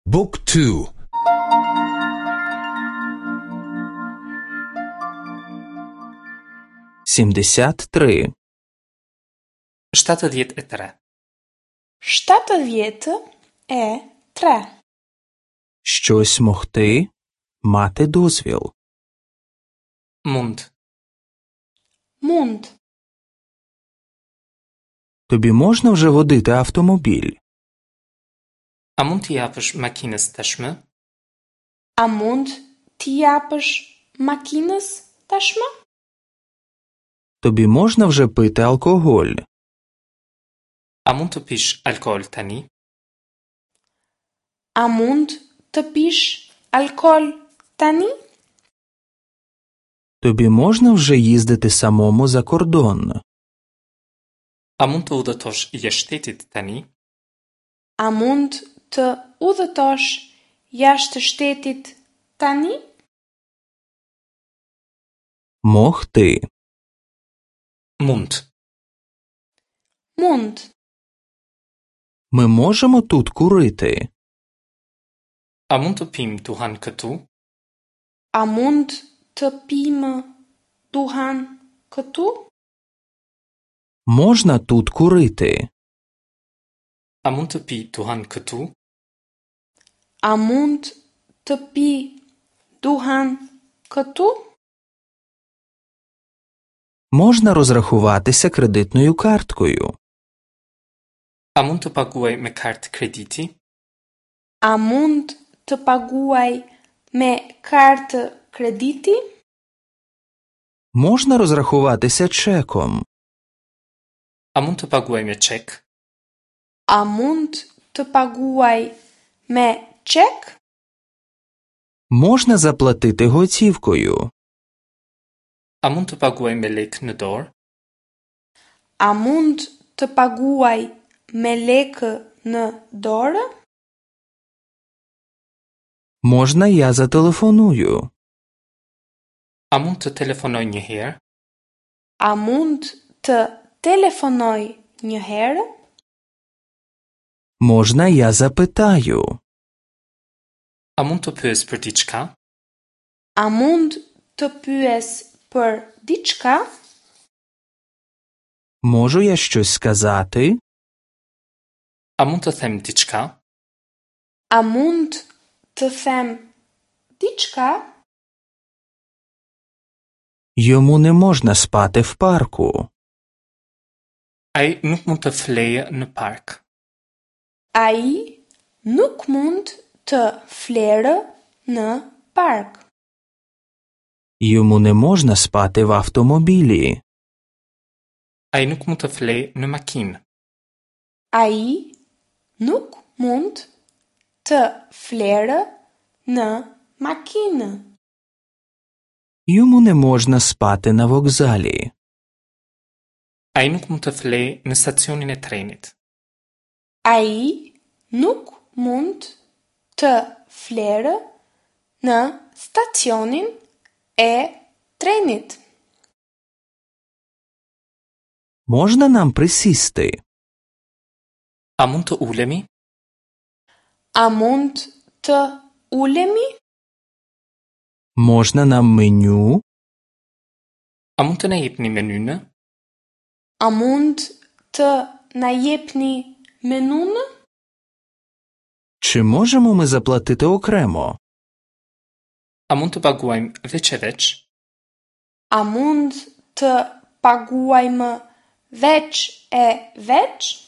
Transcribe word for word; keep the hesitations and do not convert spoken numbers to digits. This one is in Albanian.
Book two. Сімдесят три. Shtatëdhjetë e tre. Shtatëdhjetë e tre. Щось могти, мати дозвіл. Mund. Mund. Тобі можна вже водити автомобіль? A mund t'i japësh makinës tashmë? A mund t'i japësh makinës tashmë? Тобі можна вже пити алкоголь? A mund të pish alkool tani? A mund të pish alkool tani? Тобі можна вже їздити самому за кордон? A mund të udhëtosh jashtë shtetit tani? A mund të udhëtosh jashtë shtetit tani? Могти. Mund. Mund. Ми можемо тут курити? A mund të pimë duhan këtu? A mund të pimë duhan këtu? Можна тут курити? A mund të pi duhan këtu? A mund të pi duhan këtu? Можна розрахуватися кредитною карткою. A mund të paguaj me kartë krediti? A mund të paguaj me kartë krediti? Можна розрахуватися чеком. A mund të paguaj me çek? A mund të paguaj me çek? Можна заплатити готівкою. A mund të paguaj me lekë në dorë? A mund të paguaj me lekë në dorë? Можна я зателефоную? A mund të telefonoj një herë? A mund të telefonoj një herë? Можна я запитаю? A mund të pyes për diçka? A mund të pyes për diçka? Можу я щось сказати? A mund të them diçka? A mund të them diçka? Йому не можна спати в парку. Ai nuk mund të flejë në park. Ai nuk mund të flerë në park. Йому не можна спати в автомобілі. Ai nuk mund të flejë në makinë. Ai nuk mund të flerë në makinë. Йому не можна спати на вокзалі. Ai nuk mund të flejë në stacionin e trenit. Ai nuk mund të flerë në stacionin e trenit. Можна нам присісти? A mund të ulemi? A mund të ulemi? Можна нам меню? A mund të na jepni menynë? A mund të na jepni menunë? Чи можемо ми заплатити окремо? A mund të paguajmë veç e veç? A mund të paguajmë veç e veç?